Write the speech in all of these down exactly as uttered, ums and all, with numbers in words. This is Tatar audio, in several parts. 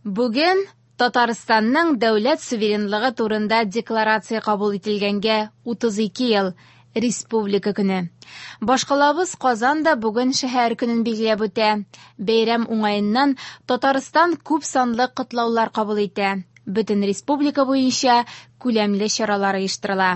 Бүген Татарстанның дәүләт суверенлыгы турында декларация кабул ителгәнгә утыз ике ел – Республика көне. Башкалабыз Казан да бүген шәһәр көнен билгеләп үтә. Бәйрәм уңаеннан Татарстан күп санлы котлаулар кабул итә. Бөтен республика буенча күләмле чаралар оештырыла.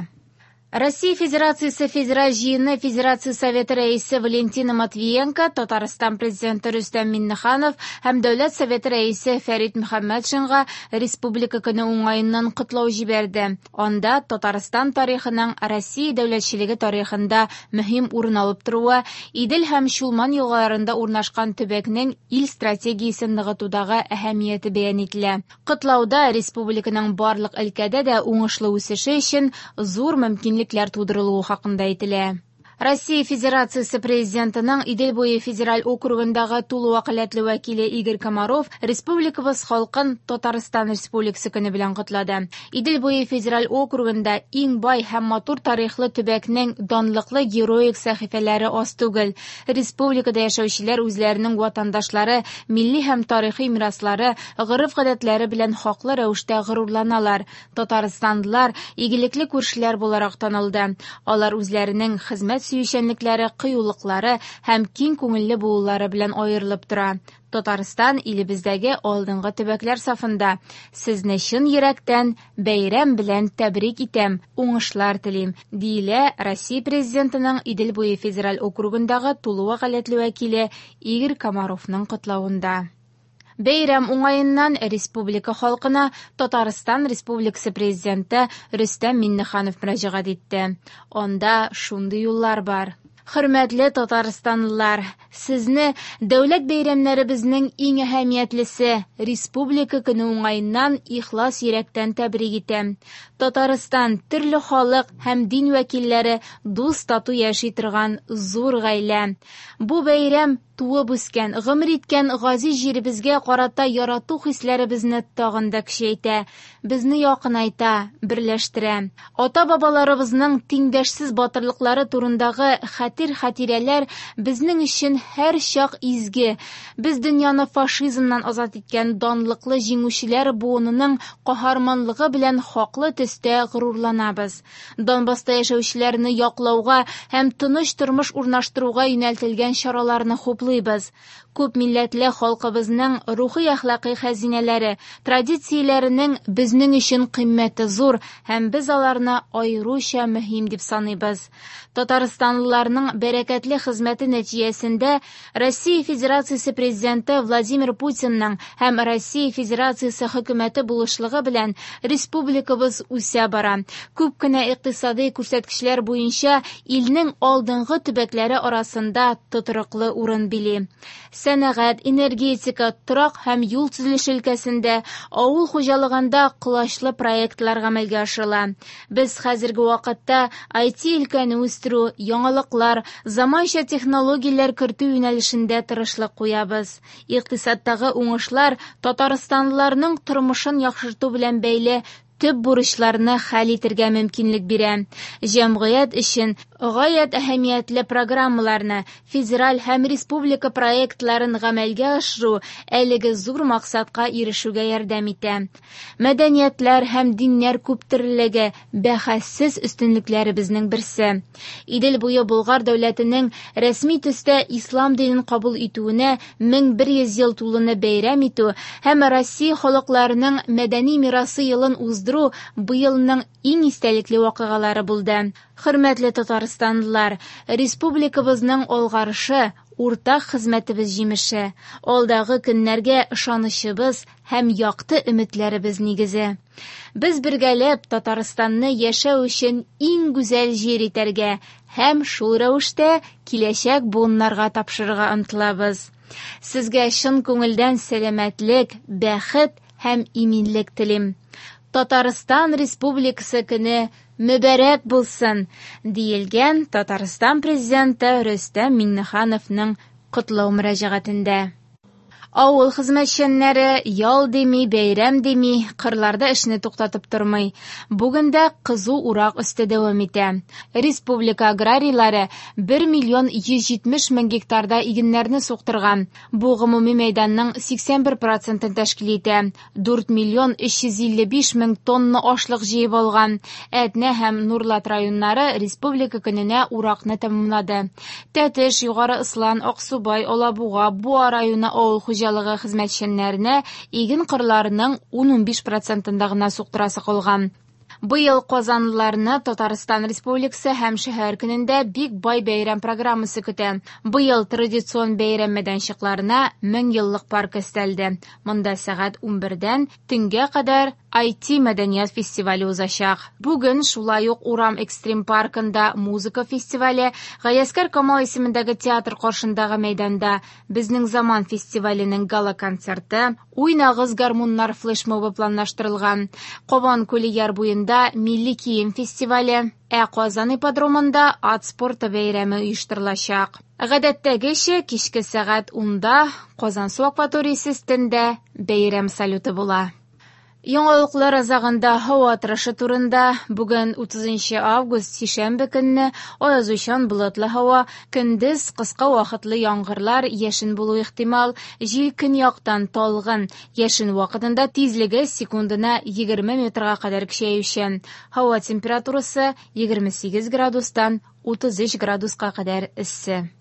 Россия Федерациясе Федераль җыены Федерация Советы рәисе Валентина Матвиенко, Татарстан Президенты Рөстәм Миңнеханов һәм Дәүләт Советы рәисе Фәрит Мөхәммәтшинга Республика көне уңаеннан котлау җибәрде. Анда Татарстан тарихының Россия дәүләтчелеге тарихында мөһим урын алып торуы, Идел һәм Чулман елгаларында урнашкан төбәкнең ил стратегиясен ныгытудагы әһәмияте бәян ителә. Котлауда республиканың барлык өлкәдә дә уңышлы үсеше өчен зур мөмкинлекләр тудырылуы хакында әйтелә. Россия Федерациясе Президентының Идел буе федераль округындагы тулы вәкаләтле вәкиле Игорь Комаров республикабыз халкын Татарстан Республикасы көне белән котлады. Идел буе федераль округында иң бай һәм матур тарихлы төбәкнең данлыклы героик сәхифәләре аз түгел. Республикада яшәүчеләр үзләренең ватандашлары, милли һәм тарихи мираслары, гореф-гадәтләре белән хаклы рәвештә горурланалар. Татарстанлылар игелекле күршеләр буларак танылды. Алар үзләренең хезмәт сөючәнлекләре, кыюлыклары һәм киң күңелле булулары белән аерылып тора. Татарстан илебездәге алдынгы төбәкләр сафында. Сезне чын йөрәктән бәйрәм белән тәбрик итәм, уңышлар телим, диелә Россия Президентының Идел буе федераль округындагы тулы вәкаләтле вәкиле Игорь Комаровның котлавында. Бәйрәм уңаеннан республика халкына Татарстан Республикасы Президенты Рөстәм Миңнеханов мөрәҗәгать итте. Анда шундый юллар бар. Хөрмәтле татарстанлылар, сезне дәүләт бәйрәмнәребезнең иң әһәмиятлесе Республика көне уңаеннан ихлас йөрәктән тәбрик итәм. Татарстан төрле халык һәм дин вәкилләре дус тату яши торган зур гаилә. Бу бәйрәм туып үскән, гомер иткән газиз җиребезгә карата ярату хисләребезне тагын да көчәйтә, безне якынайта, берләштерә. Ата-бабаларыбызның тиңдәшсез батырлыклары турындагы хәтер-хатирәләр безнең өчен һәр чак изге. Без дөньяны фашизмнан азат иткән данлыклы җиңүчеләр буынының каһарманлыгы белән хаклы төстә горурланабыз. Донбасста яшәүчеләрне яклауга һәм тыныч тормыш урнаштыруга юнәлтелгән чараларны хуплыйбыз. Күп милләтле халкыбызның рухи әхлакый хәзинәләре, традицияләренең безнең өчен кыйммәте зур һәм без аларны аеруча мөһим дип саныйбыз. Татарстанлыларның бәрәкәтле хезмәте нәтиҗәсендә Россия Федерациясе Президенты Владимир Путинның һәм Россия Федерациясе хөкүмәте булышлыгы белән республикабыз үсә бара. Күп кенә икътисади күрсәткечләр буенча илнең алдынгы төбәкләре арасында тотрыклы урын били. Сәнәгать, энергетика, торак һәм юл төзелеше өлкәсендә, авыл хуҗалыгында колачлы проектлар гамәлгә ашырыла. Без хәзерге вакытта ай ти өлкәне үстерү, яңалыклар, заманча технологияләр кертү юнәлешендә тырышлык куябыз. Икътисадтагы уңышлар татарстанлыларның тормышын яхшырту белән бәйле төп бурычларны хәл итәргә мөмкинлек бирә. Җәмгыять өчен гаять әһәмиятле программаларны, федераль һәм республика проектларын гамәлгә ашыру әлеге зур максатка ирешүгә ярдәм итә. Мәдәниятләр һәм диннәр күптөрлелеге бәхәссез өстенлекләребезнең берсе. Идел буе Болгар дәүләтенең рәсми төстә ислам динен кабул итүенә мең бер йөз ел тулуны бәйрәм итү һәм Россия халыкларының мәдәни мирасы елын уздыру быелның иң истәлекле вакыйгалары булды. Хөрмәтле татарстанлылар, республикабызның алгарышы уртак хезмәтебез җимеше, алдагы көннәргә ышанычыбыз һәм якты өметләребез нигезе. Без бергәләп Татарстанны яшәү өчен иң гүзәл җир итәргә һәм шул рәвештә киләчәк буыннарга тапшырырга омтылабыз. Сезгә чын күңелдән сәламәтлек, бәхет һәм иминлек телим. Татарстан Республикасы көне мөбарәк булсын, диелгән Татарстан Президенты Рөстәм Миңнехановның котлау мөрәҗәгатендә. Авыл хезмәтчәннәре ял дими, бәйрәм дими, кырларда эшне туктатып тормый. Бүген дә кызу урак өсте дәвам итә. Республика аграрийлары бер миллион йөз җитмеш мең гектарда игеннәрне суктырган. Бу гомуми мәйданның сиксән бер процентын тәшкил итә. Дүрт миллион өч йөз илле биш мең тонна ашлык җыеп алган. Әтнә һәм Нурлат районнары республика көненә уракны тәмамлады. Тәтеш, Югары Ослан, Аксубай, Алабуга, Буа районы авыл хуҗалыгы хезмәтчәннәренә иген кырларының ун-унбиш процентында гына суктырасы калган. Быел казанлыларны Татарстан Республикасы һәм шәһәр көнендә бик бай бәйрәм программасы көтә. Быел традицион бәйрәм мәйданчыкларына мең еллык парк өстәлде. Монда сәгать унбердән төнгә кадәр ай ти мәдәният фестивале узачак. Бүген шулай ук Урам экстрим паркында музыка фестивале, Галиәсгар Камал исемендәге театр каршындагы мәйданда Безнең заман фестиваленең гала-концерты, Уйнагыз гармуннар флешмобы планлаштырылган. Кабан күле яр буенда милли кием фестивале, ә Казан ипподромында ат спорты бәйрәме оештырылачак. Гадәттәгечә кичке сәгать унда Казансу акваториясе өстендә бәйрәм салюты була. Яңалыклар азагында һава торышы турында. Бүген утызынчы август сишәмбе көнне аязучан болытлы һава, көндез кыска вакытлы яңгырлар, яшен булу ихтимал, җил көньяктан талгын, яшен вакытында тизлеге секундына егерме метрга кадәр көчәючән. Һава температурасы егерме сигез градустан утыз өч градуска кадәр эссе.